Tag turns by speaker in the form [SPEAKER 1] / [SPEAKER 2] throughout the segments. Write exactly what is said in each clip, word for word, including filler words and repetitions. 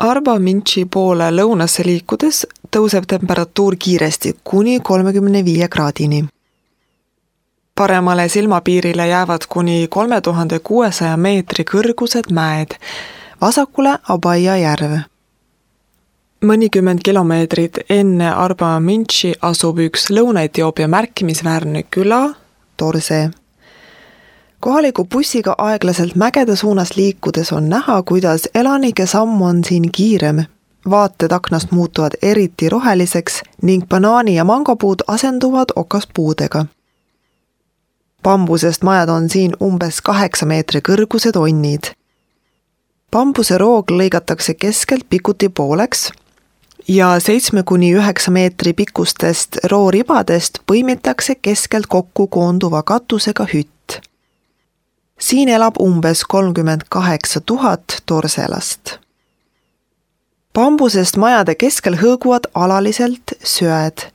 [SPEAKER 1] Arba Minchi poole lõunasse liikudes tõuseb temperatuur kiiresti kuni kolmekümne viie kraadini. Paremale silmapiirile jäävad kuni kolme tuhande kuuesaja meetri kõrgused mäed, vasakule Abaia järv. Mõnikümmend kilomeetrit enne Arba Minchi asub üks Lõuna-Etioopia märkimisväärne küla, Torse. Kohaliku bussiga aeglaselt mägede suunas liikudes on näha, kuidas elanike samm on siin kiirem. Vaated aknast muutuvad eriti roheliseks ning banaani- ja mangopuud asenduvad okaspuudega. Bambusest majad on siin umbes kaheksa meetri kõrgused onnid. Bambuse roog lõigatakse keskelt pikuti pooleks ja seitsme kuni üheksa meetri pikkustest rooribadest põimitakse keskelt kokku koonduva katusega hütt. Siin elab umbes kolmkümmend kaheksa tuhat torselast. Bambusest majade keskel hõõguvad alaliselt söed.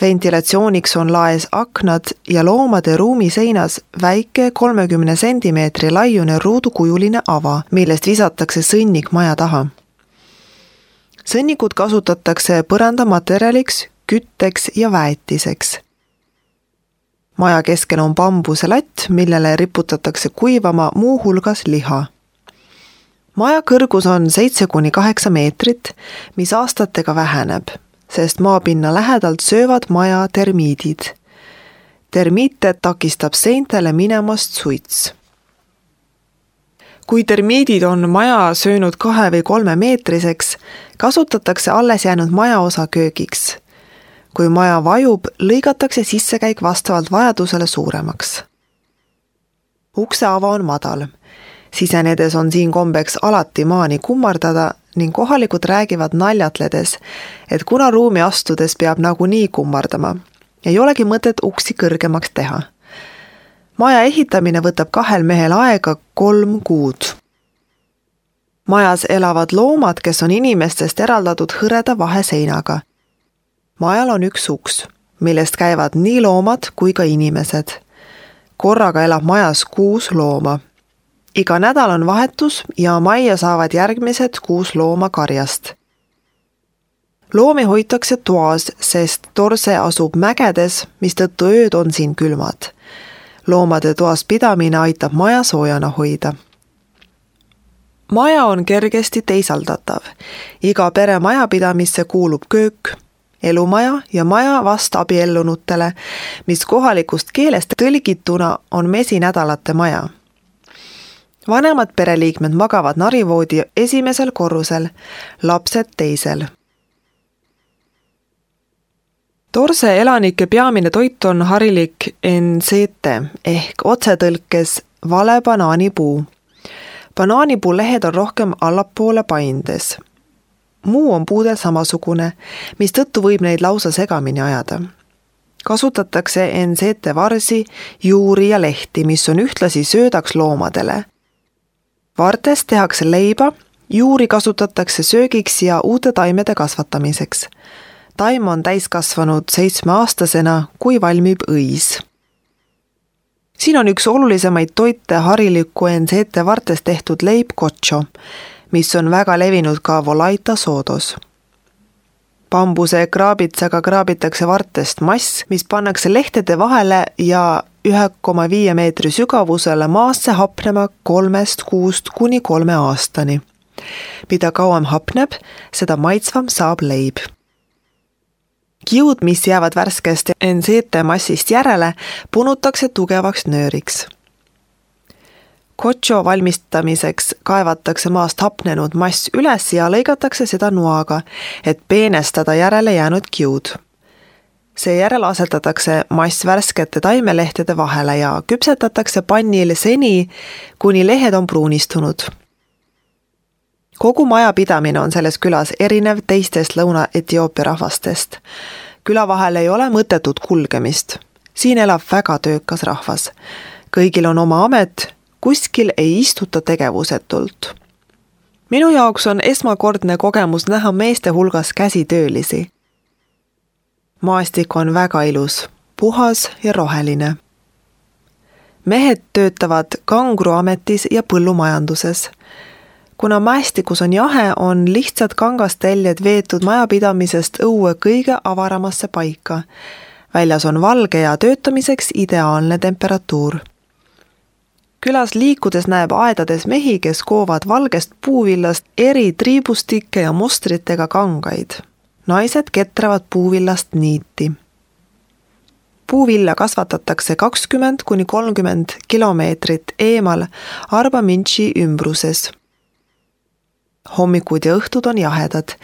[SPEAKER 1] Ventilatsiooniks on laes aknad ja loomade ruumi seinas väike kolmekümne sentimeetri laiune ruudukujuline ava, millest visatakse sõnnik maja taha. Sõnnikud kasutatakse põrandamaterjaliks, kütteks ja väetiseks. Maja keskel on bambuse latt, millele riputatakse kuivama muu hulgas liha. Maja kõrgus on seitse kuni kaheksa meetrit, mis aastatega väheneb, sest maapinna lähedalt söövad maja termiidid. Termiite takistab seintele minemast suits. Kui termiidid on maja söönud kahe või kolme meetriseks, kasutatakse alles jäänud majaosa köögiks. Kui maja vajub, lõigatakse sissekäik vastavalt vajadusele suuremaks. Ukse ava on madal. Sisenedes on siin kombeks alati maani kummardada ning kohalikud räägivad naljatledes, et kuna ruumi astudes peab nagunii kummardama, ei olegi mõtet uksi kõrgemaks teha. Maja ehitamine võtab kahel mehel aega kolm kuud. Majas elavad loomad, kes on inimestest eraldatud hõreda vaheseinaga. Majal on üks uks, millest käivad nii loomad kui ka inimesed. Korraga elab majas kuus looma. Iga nädal on vahetus ja majja saavad järgmised kuus looma karjast. Loomi hoitakse toas, sest Torse asub mägedes, mistõttu ööd on siin külmad. Loomade toas pidamine aitab maja soojana hoida. Maja on kergesti teisaldatav. Iga pere majapidamisse kuulub köök, elumaja ja maja vast abiellunutele, mis kohalikust keelest tõlgituna on mesinädalate maja. Vanemad pereliikmed magavad narivoodi esimesel korrusel, lapsed teisel. Torse elanike peamine toit on harilik ensete ehk otsetõlkes vale banaanipuu. Banaanipuu lehed on rohkem allapoole paindes. Muu on puudel samasugune, mis tõttu võib neid lausa segamini ajada. Kasutatakse ensete varsi, juuri ja lehti, mis on ühtlasi söödaks loomadele. Vartest tehakse leiba, juuri kasutatakse söögiks ja uute taimede kasvatamiseks. Taim on täiskasvanud seitsmeaastasena, kui valmib õis. Siin on üks olulisemaid toite hariliku ensete vartest tehtud leib kocho, mis on väga levinud ka Volaita soodos. Bambuse kraabitsaga kraabitakse vartest mass, mis pannakse lehtede vahele ja ühe koma viie meetri sügavusele maasse hapnema kolmest kuust kuni kolme aastani. Mida kauem hapneb, seda maitsvam saab leib. Kiud, mis jäävad värskest ensete massist järele, punutakse tugevaks nööriks. Kocho valmistamiseks kaevatakse maast hapnenud mass üles ja lõigatakse seda noaga, et peenestada järele jäänud kiud. Seejärel asetatakse mass värskete taimelehtede vahele ja küpsetatakse pannil seni, kuni lehed on pruunistunud. Kogu maja pidamine on selles külas erinev teistest Lõuna-Etioopia rahvastest. Küla vahel ei ole mõttetut kulgemist. Siin elab väga töökas rahvas. Kõigil on oma amet, kuskil ei istuta tegevusetult. Minu jaoks on esmakordne kogemus näha meeste hulgas käsitöölisi. Maastik on väga ilus, puhas ja roheline. Mehed töötavad kangruametis ja põllumajanduses. kuna mäestikus on jahe, on lihtsad kangasteljed veetud majapidamisest õue kõige avaramasse paika. Väljas on valge ja töötamiseks ideaalne temperatuur. Külas liikudes näeb aedades mehi, kes koovad valgest puuvillast eri triibustikke ja mustritega kangaid. Naised ketravad puuvillast niiti. Puuvilla kasvatatakse kakskümmend kuni kolmkümmend kilomeetrit eemal Arba-Minchi ümbruses. Hommikud ja õhtud on jahedad,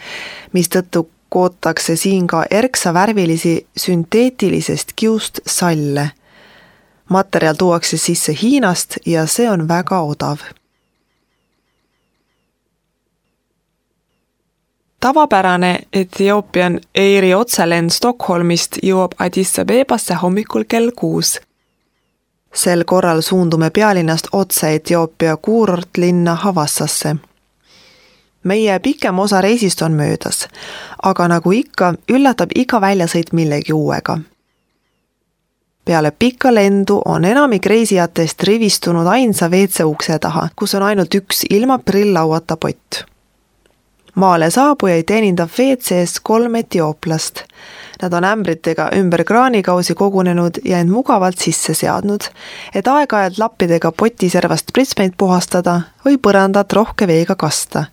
[SPEAKER 1] mistõttu kootakse siin ka erksa värvilisi sünteetilisest kiust salle. Materjal tuuakse sisse Hiinast ja see on väga odav. Tavapärane Ethiopian Airi otselend Stockholmist jõuab Addis Abebasse hommikul kell kuus. Sel korral suundume pealinnast otse Etioopia kuurortlinna Havassasse. Meie pikem osa reisist on möödas, aga nagu ikka, üllatab iga väljasõit millegi uuega. Peale pikka lendu on enamik reisijatest rivistunud ainsa V C ukse taha, kus on ainult üks ilma prilllauata pott. Maale saabujaid teenindab V C-s kolm etiooplast. Nad on ämbritega ümber kraanikausi kogunenud ja end mugavalt sisse seadnud, et aeg-ajalt lappidega potiservast pritsmeid puhastada või põrandat rohke veega kasta.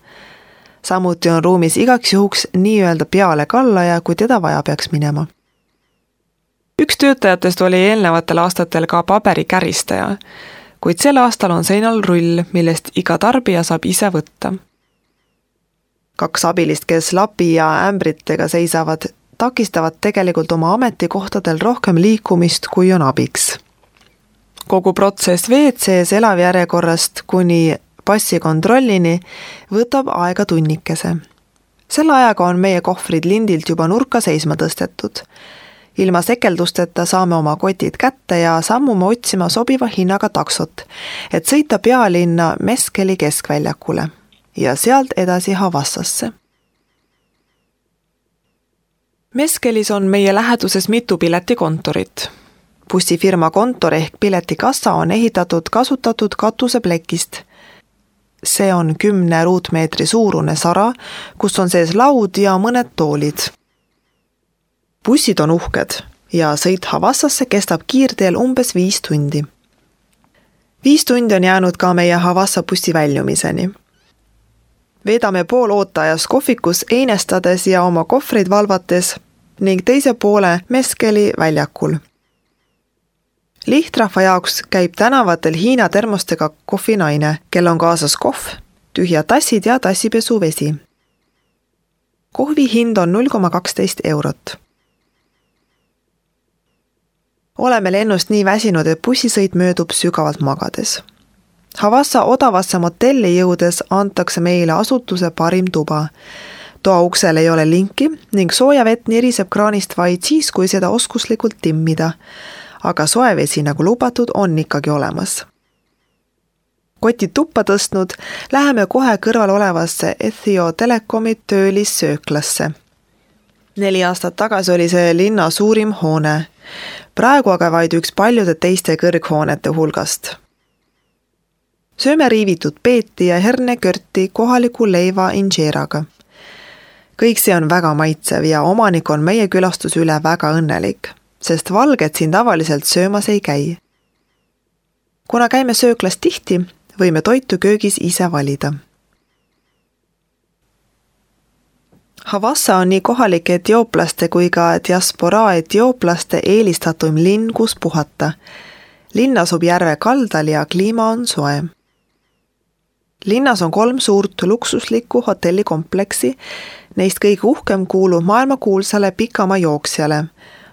[SPEAKER 1] Samuti on ruumis igaks juhuks nii-öelda peale kallaja, kui teda vaja peaks minema. Üks töötajatest oli eelnevatel aastatel ka paberikäristaja, kuid sel aastal on seinal rull, millest iga tarbija saab ise võtta. Kaks abilist, kes lapi ja ämbritega seisavad, takistavad tegelikult oma ametikohtadel rohkem liikumist, kui on abiks. Kogu protsess V C-s elavjärjekorrast kuni passikontrollini võtab aega tunnikese. Selle ajaga on meie kohvrid lindilt juba nurka seisma tõstetud. Ilma sekeldusteta saame oma kotid kätte ja sammume otsima sobiva hinnaga taksot, et sõita pealinna Meskeli keskväljakule ja sealt edasi Havassasse. Meskelis on meie läheduses mitu piletikontorit. Bussifirma kontor ehk piletikassa on ehitatud kasutatud katuseplekist. See on kümne ruutmeetri suurune sara, kus on sees laud ja mõned toolid. Bussid on uhked ja sõit Havassasse kestab kiirteel umbes viis tundi. Viis tundi on jäänud ka meie Havassa bussi väljumiseni. Veedame pool ootajas kohvikus einestades ja oma kohvreid valvates ning teise poole Meskeli väljakul. Lihtrahva jaoks käib tänavatel Hiina termostega kohvinaine, kel on kaasas kohv, tühjad tassid ja tassipesuvesi. Kohvi hind on null koma kaksteist eurot. Oleme lennust nii väsinud, et bussisõit möödub sügavalt magades. Havassa odavasse motelli jõudes antakse meile asutuse parim tuba. Toa uksel ei ole linki ning sooja vett niriseb kraanist vaid siis, kui seda oskuslikult timmida, aga soevesi nagu lubatud on ikkagi olemas. Kotid tuppa tõstnud, läheme kohe kõrval olevasse Ethio Telekomi töölissööklasse. Neli aastat tagasi oli see linna suurim hoone, praegu aga vaid üks paljude teiste kõrghoonete hulgast. Sööme riivitud peeti ja hernekörti kohaliku leiva injeeraga. Kõik see on väga maitsev ja omanik on meie külastus üle väga õnnelik, sest valged siin tavaliselt söömas ei käi. Kuna käime sööklas tihti, võime toitu köögis ise valida. Havassa on nii kohalike etiooplaste kui ka diasporaa etiooplaste eelistatum linn, kus puhata. Linn asub järve kaldal ja kliima on soe. Linnas on kolm suurt luksuslikku hotellikompleksi, neist kõige uhkem kuulub maailmakuulsale pikamaa jooksjale,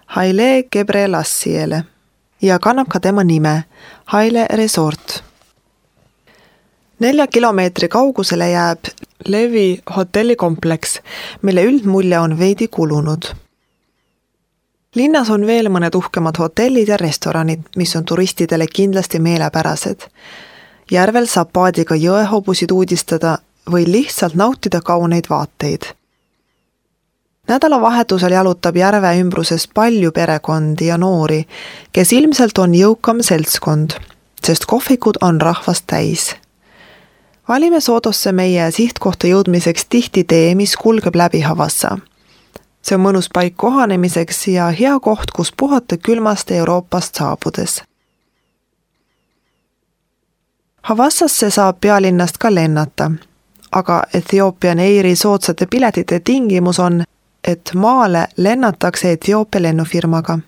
[SPEAKER 1] Haile Gebrelassiele, ja kannab ka tema nime, Haile Resort. Nelja kilomeetri kaugusele jääb Levi hotellikompleks, mille üldmulje on veidi kulunud. Linnas on veel mõned uhkemad hotellid ja restoranid, mis on turistidele kindlasti meelepärased. Järvel saab paadiga jõehobusid uudistada või lihtsalt nautida kauneid vaateid. Nädalavahetusel jalutab järve ümbruses palju perekondi ja noori, kes ilmselt on jõukam seltskond, sest kohvikud on rahvast täis. Valime Sodosse meie sihtkohta jõudmiseks tihti tee, mis kulgeb läbi Havassa. See on mõnus paik kohanemiseks ja hea koht, kus puhata külmast Euroopast saabudes. Havassasse saab pealinnast ka lennata, aga Ethiopian Airi soodsate piletite tingimus on, et maale lennatakse Etioopia lennufirmaga.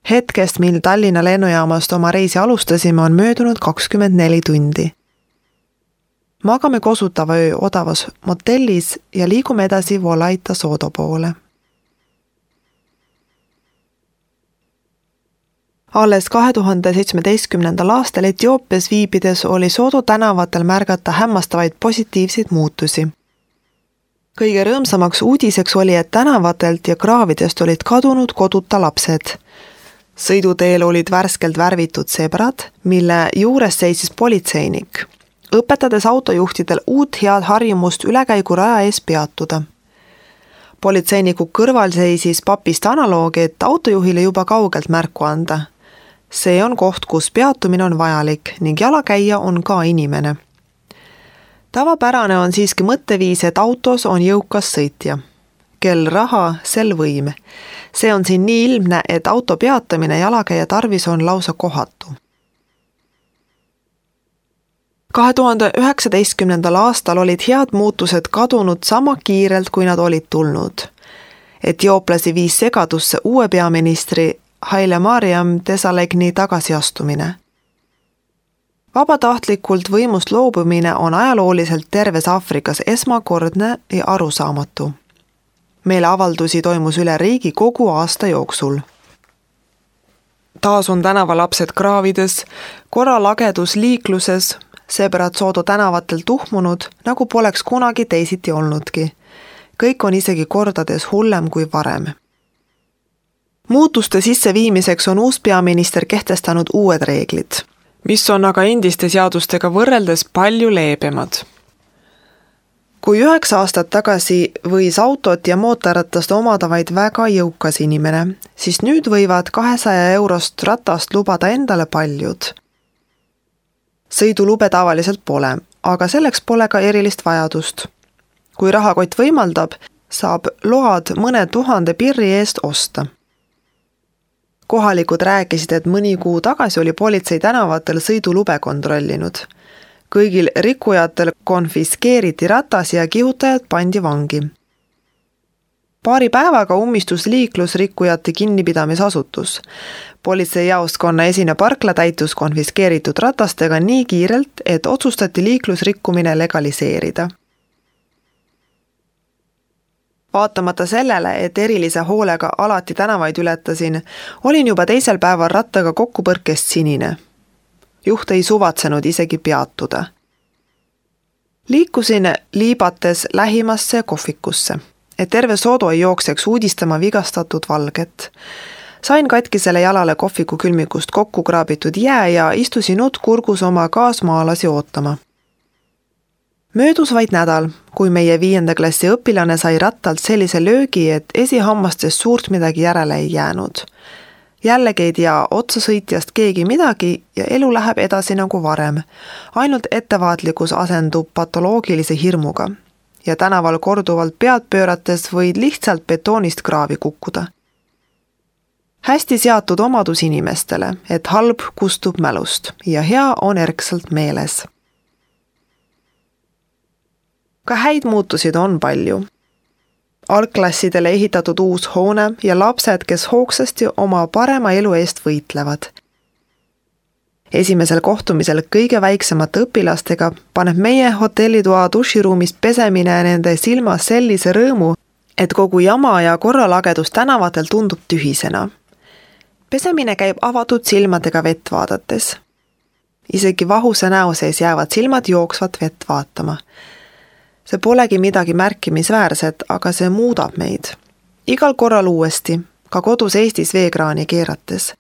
[SPEAKER 1] Hetkest, mil Tallinna lennujaamast oma reisi alustasime, on möödunud kakskümmend neli tundi. Magame kosutava öö odavas motellis ja liigume edasi Volaita Sodo poole. Alles kahe tuhande seitsmeteistkümnendal aastal Etioopias viibides oli Sodo tänavatel märgata hämmastavaid positiivseid muutusi. Kõige rõõmsamaks uudiseks oli, et tänavatelt ja kraavidest olid kadunud koduta lapsed. Sõiduteel olid värskelt värvitud sebrad, mille juures seisis politseinik, õpetades autojuhtidel uut head harjumust ülekäiguraja ees peatuda. Politseiniku kõrval seisis papist analoogi, et autojuhile juba kaugelt märku anda. See on koht, kus peatumine on vajalik ning jalakäija on ka inimene. Tavapärane on siiski mõtteviis, et autos on jõukas sõitja. Kel raha, sel võim. See on siin nii ilmne, et auto peatamine jalakäija tarvis on lausa kohatu. kahe tuhande üheksateistkümnendal aastal olid head muutused kadunud sama kiirelt, kui nad olid tulnud. Etiooplasi viis segadusse uue peaministri Haile Mariam Desalegni tagasiastumine. Vabatahtlikult võimust loobumine on ajalooliselt terves Aafrikas esmakordne ja arusaamatu. Meeleavaldusi toimus üle riigi kogu aasta jooksul. Taas on tänavalapsed kraavides, korralagedus liikluses, sebrad Sodo tänavatel tuhmunud, nagu poleks kunagi teisiti olnudki. Kõik on isegi kordades hullem kui varem. Muutuste sisseviimiseks on uus peaminister kehtestanud uued reeglid, mis on aga endiste seadustega võrreldes palju leebemad. Kui üheksa aastat tagasi võis autot ja mootorratast omada vaid väga jõukas inimene, siis nüüd võivad kahesaja eurost ratast lubada endale paljud. Sõidulube tavaliselt pole, aga selleks pole ka erilist vajadust. Kui rahakott võimaldab, saab load mõne tuhande pirri eest osta. Kohalikud rääkisid, et mõni kuu tagasi oli politsei tänavatel sõidulube kontrollinud. Kõigil rikkujatel konfiskeeriti ratas ja kihutajad pandi vangi. Paari päevaga ummistus liiklusrikkujate kinnipidamisasutus. Politseijaoskonna esine parkla täitus konfiskeeritud ratastega nii kiirelt, et otsustati liiklusrikkumine legaliseerida. Vaatamata sellele, et erilise hoolega alati tänavaid ületasin, olin juba teisel päeval rattaga kokkupõrkest sinine. Juht ei suvatsenud isegi peatuda. Liikusin liibates lähimasse kohvikusse, et terve Sodo ei jookseks uudistama vigastatud valget. Sain katkisele jalale kohviku külmikust kokku kraabitud jää ja istusin ut kurgus oma kaasmaalasi ootama. Möödus vaid nädal, kui meie viienda klassi õpilane sai rattalt sellise löögi, et esihammastest suurt midagi järele ei jäänud. Jällegi ei tea otsasõitjast keegi midagi ja elu läheb edasi nagu varem. Ainult ettevaatlikkus asendub patoloogilise hirmuga ja tänaval korduvalt pead pöörates võid lihtsalt betoonist kraavi kukkuda. Hästi seatud omadus inimestele, et halb kustub mälust ja hea on erksalt meeles. Ka häid muutusid on palju. Algklassidele ehitatud uus hoone ja lapsed, kes hoogsasti oma parema elu eest võitlevad. Esimesel kohtumisel kõige väiksemate õpilastega paneb meie hotellitoa duširuumist pesemine nende silmas sellise rõõmu, et kogu jama ja korralagedus tänavatel tundub tühisena. Pesemine käib avatud silmadega vett vaadates. Isegi vahuse näo sees jäävad silmad jooksvat vett vaatama. See polegi midagi märkimisväärset, aga see muudab meid. Igal korral uuesti, ka kodus Eestis veekraani keerates.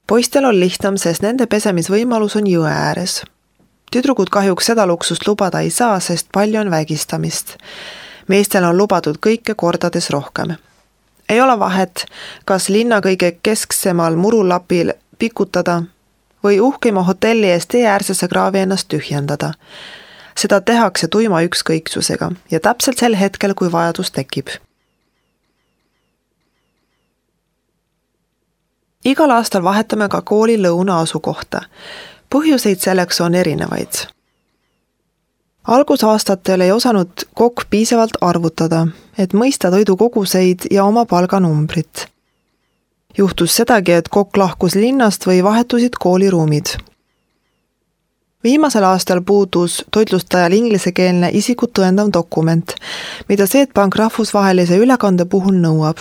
[SPEAKER 1] Poistel on lihtsam, sest nende pesemisvõimalus on jõe ääres. Tüdrukud kahjuks seda luksust lubada ei saa, sest palju on vägistamist. Meestel on lubatud kõike kordades rohkem. Ei ole vahet, kas linna kõige kesksemal murulapil pikutada või uhkima hotelli ees tee äärsesse kraavi ennast tühjendada. Seda tehakse tuima ükskõiksusega ja täpselt sel hetkel, kui vajadus tekib. Igal aastal vahetame ka kooli lõuna asukohta. Põhjuseid selleks on erinevaid. Algusaastatel ei osanud kokk piisavalt arvutada, et mõista toidukoguseid ja oma palganumbrit. Juhtus sedagi, et kokk lahkus linnast või vahetusid kooliruumid. Viimasel aastal puudus toitlustajal inglisekeelne isikut tõendav dokument, mida Swedbank rahvusvahelise ülekande puhul nõuab.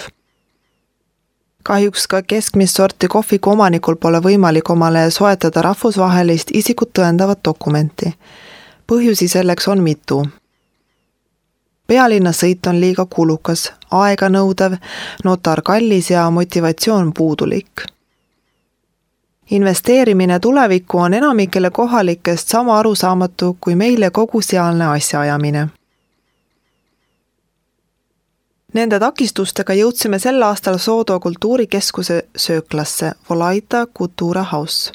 [SPEAKER 1] Kahjuks ka keskmist sorti kohviku omanikul pole võimalik omale soetada rahvusvahelist isikut tõendavat dokumenti. Põhjusi selleks on mitu. Pealinna sõit on liiga kulukas, aega nõudev, notar kallis ja motivatsioon puudulik. Investeerimine tulevikku on enamikele kohalikest sama arusaamatu kui meile kogu sealne asjaajamine. Nende takistustega jõudsime sel aastal Soodo kultuurikeskuse sööklasse Volaita Kultura House.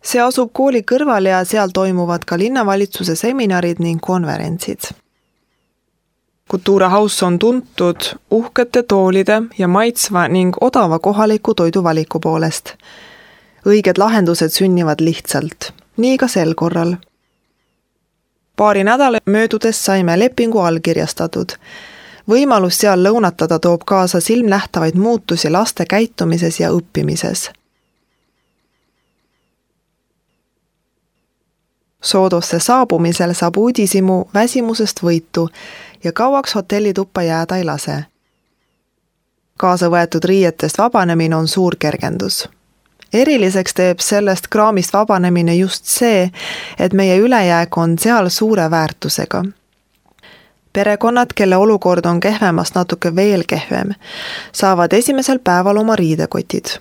[SPEAKER 1] See asub kooli kõrval ja seal toimuvad ka linnavalitsuse seminarid ning konverentsid. Kultura House on tuntud uhkete toolide ja maitsva ning odava kohaliku toiduvaliku poolest. Õiged lahendused sünnivad lihtsalt, nii ka sel korral. Paari nädala möödudes saime lepingu allkirjastatud. Võimalus seal lõunatada toob kaasa silmnähtavaid muutusi laste käitumises ja õppimises. Soodosse saabumisel saab uudisimu väsimusest võitu ja kauaks hotellituppa jääda ei lase. Kaasa võetud riietest vabanemine on suur kergendus. Eriliseks teeb sellest kraamist vabanemine just see, et meie ülejääk on seal suure väärtusega. Perekonnad, kelle olukord on kehvemast natuke veel kehvem, saavad esimesel päeval oma riidekotid.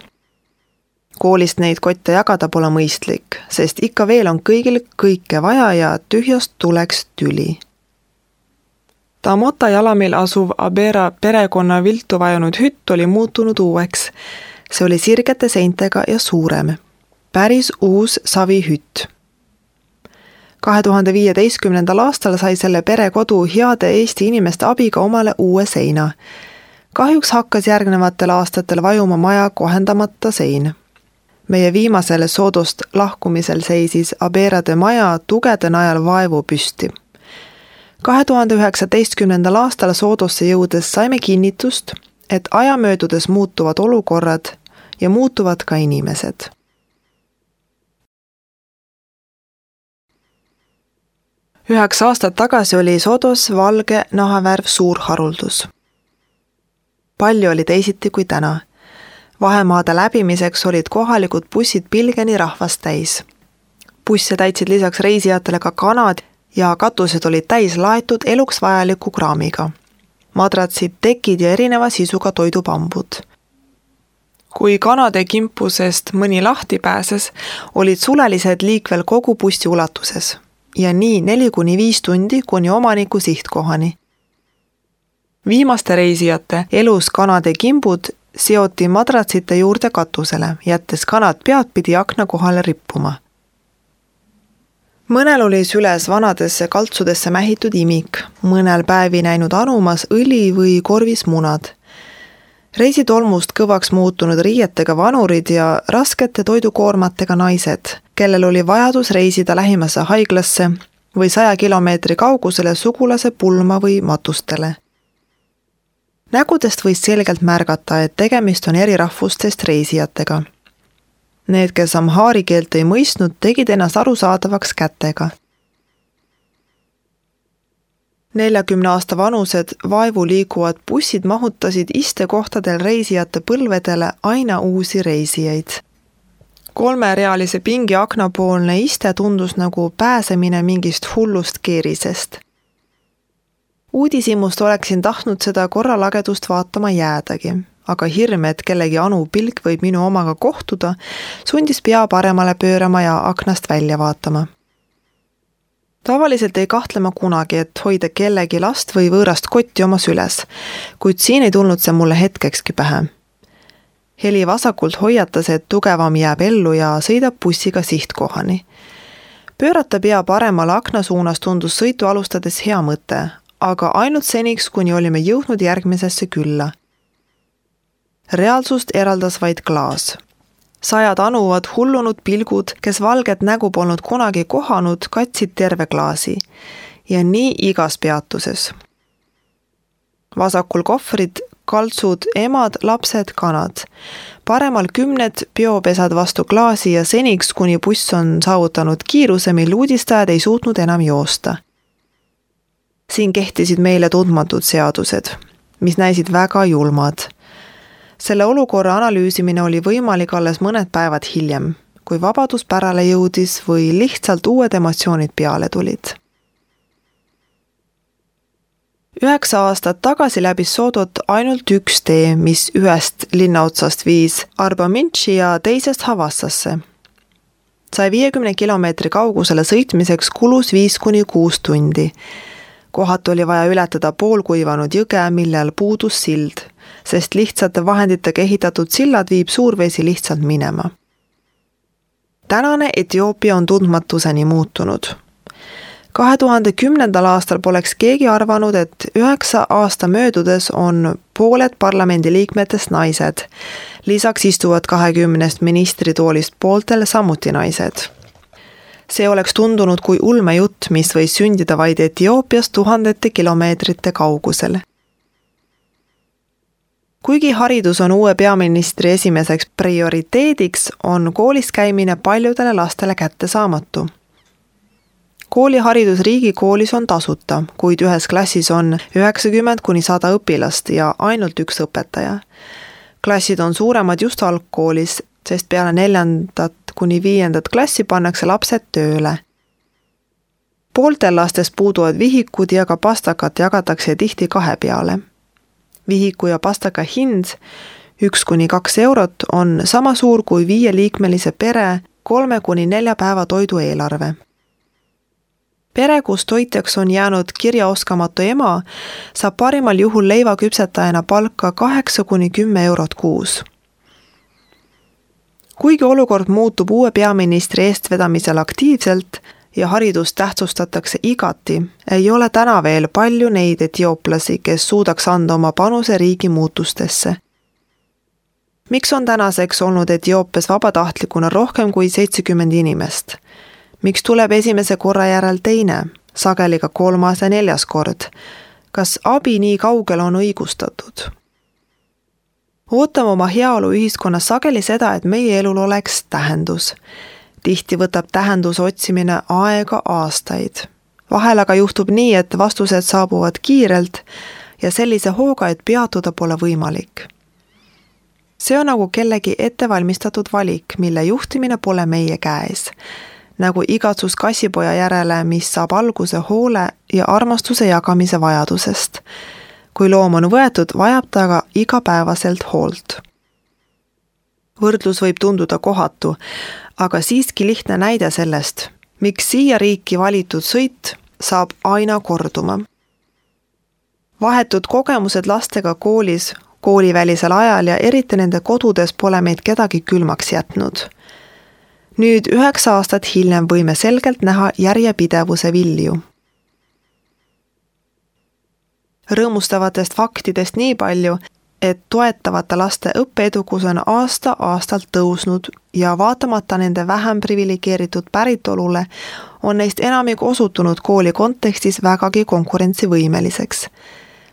[SPEAKER 1] Koolist neid kotte jagada pole mõistlik, sest ikka veel on kõigil kõike vaja ja tühjast tuleks tüli. Tamota jalamil asuv Abera perekonna viltu vajunud hütt oli muutunud uueks. See oli sirgete seintega ja suurem. Päris uus savihütt. kahe tuhande viieteistkümnendal aastal sai selle perekodu heade Eesti inimeste abiga omale uue seina. Kahjuks hakkas järgnevatel aastatel vajuma maja kohendamata sein. Meie viimasel Soodost lahkumisel seisis Aberade maja tugede najal vaevu püsti. kahe tuhande üheksateistkümnendal aastal Soodosse jõudes saime kinnitust, et aja möödudes muutuvad olukorrad ja muutuvad ka inimesed. Üheks aastat tagasi oli Soodos valge nahavärv suur haruldus. Palju oli teisiti kui täna. Vahemaade läbimiseks olid kohalikud bussid pilgeni rahvast täis. Busse täitsid lisaks reisijatele ka kanad ja katused olid täis laetud eluks vajaliku kraamiga. Madratsid, tekid ja erineva sisuga toidupambud. Kui kanade kimpusest mõni lahti pääses, olid sulelised liikvel kogu bussi ulatuses ja nii neli kuni viis tundi kuni omaniku sihtkohani. Viimaste reisijate elus kanade kimbud seoti madratsite juurde katusele, jättes kanad peadpidi akna kohale rippuma. Mõnel oli süles vanadesse kaltsudesse mähitud imik, mõnel päevi näinud anumas õli või korvis munad. Reisitolmust kõvaks muutunud riietega vanurid ja raskete toidukoormatega naised, kellel oli vajadus reisida lähimasse haiglasse või saja kilomeetri kaugusele sugulase pulma või matustele. Nägudest võis selgelt märgata, et tegemist on eri rahvustest reisijatega. Need, kes amhaari keelt ei mõistnud, tegid ennast arusaadavaks kätega. neljakümne aasta vanused vaevu liikuvad bussid mahutasid istekohtadel reisijate põlvedele aina uusi reisijaid. Kolmerealise pingi aknapoolne iste tundus nagu pääsemine mingist hullust keerisest. Uudisimust oleksin tahtnud seda korralagedust vaatama jäädagi, aga hirm, et kellegi anu pilk võib minu omaga kohtuda, sundis pea paremale pöörama ja aknast välja vaatama. Tavaliselt ei kahtlema kunagi, et hoida kellegi last või võõrast kotti oma süles, kuid siin ei tulnud see mulle hetkekski pähe. heli vasakult hoiatas, et tugevam jääb ellu ja sõidab bussiga sihtkohani. Pöörata pea paremale akna suunas tundus sõitu alustades hea mõte, aga ainult seniks, kuni olime jõudnud järgmisesse külla. Reaalsust eraldas vaid klaas. Sajad anuvad hullunud pilgud, kes valget nägu polnud kunagi kohanud, katsid terve klaasi. Ja nii igas peatuses. Vasakul kohvrid, kaltsud, emad, lapsed, kanad. Paremal kümned biopesad vastu klaasi ja seniks, kuni buss on saavutanud kiiruse, mil uudistajad ei suutnud enam joosta. Siin kehtisid meile tundmatud seadused, mis näisid väga julmad. Selle olukorra analüüsimine oli võimalik alles mõned päevad hiljem, kui vabadus pärale jõudis või lihtsalt uued emotsioonid peale tulid. Üheksa aastat tagasi läbis Soodot ainult üks tee, mis ühest linnaotsast viis Arbaminchi ja teisest Havassasse. saja viiekümne kilomeetri kaugusele sõitmiseks kulus viis kuni kuus tundi. Kohatu oli vaja ületada poolkuivanud jõge, millel puudus sild, sest lihtsate vahenditega ehitatud sillad viib suurvesi lihtsalt minema. Tänane Etioopia on tundmatuseni muutunud. kahe tuhande kümnendal aastal poleks keegi arvanud, et üheksa aasta möödudes on pooled parlamendiliikmetest naised. Lisaks istuvad kahekümnest ministritoolist pooltel samuti naised. See oleks tundunud kui ulmejutt, mis võis sündida vaid Etioopias tuhandete kilomeetrite kaugusel. Kuigi haridus on uue peaministri esimeseks prioriteediks, on koolis käimine paljudele lastele kättesaamatu. Kooliharidus riigikoolis on tasuta, kuid ühes klassis on üheksakümmend kuni sada õpilast ja ainult üks õpetaja. Klassid on suuremad just algkoolis, sest peale neljandat kuni viiendat klassi pannakse lapsed tööle. Pooltel lastest puuduvad vihikud ja ka pastakat jagatakse tihti kahe peale. Vihiku ja pastaka hind, üks kuni kaks eurot, on sama suur kui viieliikmelise pere kolme kuni nelja päeva toidu eelarve. Pere, kus toitjaks on jäänud kirjaoskamatu ema, saab parimal juhul leivaküpsetajana palka kaheksa kuni kümme eurot kuus. Kuigi olukord muutub uue peaministri eestvedamisel aktiivselt ja haridust tähtsustatakse igati, ei ole täna veel palju neid etiooplasi, kes suudaks anda oma panuse riigi muutustesse. Miks on tänaseks olnud Etioopias vabatahtlikuna rohkem kui seitsekümmend inimest? Miks tuleb esimese korra järel teine, sageli ka kolmas ja neljas kord? Kas abi nii kaugel on õigustatud? Ootame oma heaolu ühiskonnas sageli seda, et meie elul oleks tähendus. Tihti võtab tähenduse otsimine aega aastaid. Vahel aga juhtub nii, et vastused saabuvad kiirelt ja sellise hooga, et peatuda pole võimalik. See on nagu kellegi ettevalmistatud valik, mille juhtimine pole meie käes. Nagu igatsus kassipoja järele, mis saab alguse hoole ja armastuse jagamise vajadusest. Kui loom on võetud, vajab ta aga igapäevaselt hoolt. Võrdlus võib tunduda kohatu, aga siiski lihtne näide sellest, miks siia riiki valitud sõit saab aina korduma. Vahetud kogemused lastega koolis, koolivälisel ajal ja eriti nende kodudes pole meid kedagi külmaks jätnud. Nüüd üheksa aastat hiljem võime selgelt näha järjepidevuse vilju. Rõõmustavatest faktidest nii palju, et toetavate laste õppeedukus on aasta-aastalt tõusnud ja vaatamata nende vähem privilegeeritud päritolule on neist enamik osutunud kooli kontekstis vägagi konkurentsivõimeliseks.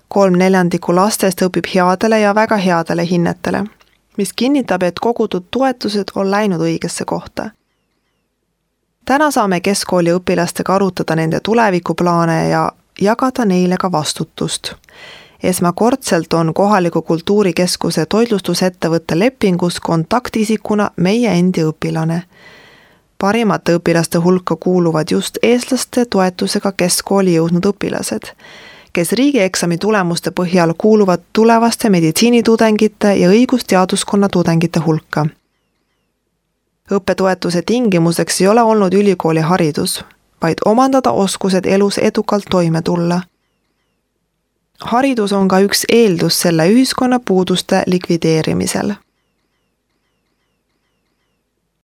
[SPEAKER 1] Kolm neljandikku lastest õpib headele ja väga headele hinnetele, mis kinnitab, et kogutud toetused on läinud õigesse kohta. Täna saame keskkooli õpilastega arutada nende tulevikuplaane ja jagada neile ka vastutust. Esmakordselt on kohaliku kultuurikeskuse toitlustusettevõtte lepingus kontaktisikuna meie endi õpilane. Parimate õpilaste hulka kuuluvad just eestlaste toetusega keskkooli jõudnud õpilased, kes riigieksami tulemuste põhjal kuuluvad tulevaste meditsiinitudengite ja õigusteaduskonna tudengite hulka. Õppetoetuse tingimuseks ei ole olnud ülikooli haridus, vaid omandada oskused elus edukalt toime tulla. Haridus on ka üks eeldus selle ühiskonna puuduste likvideerimisel.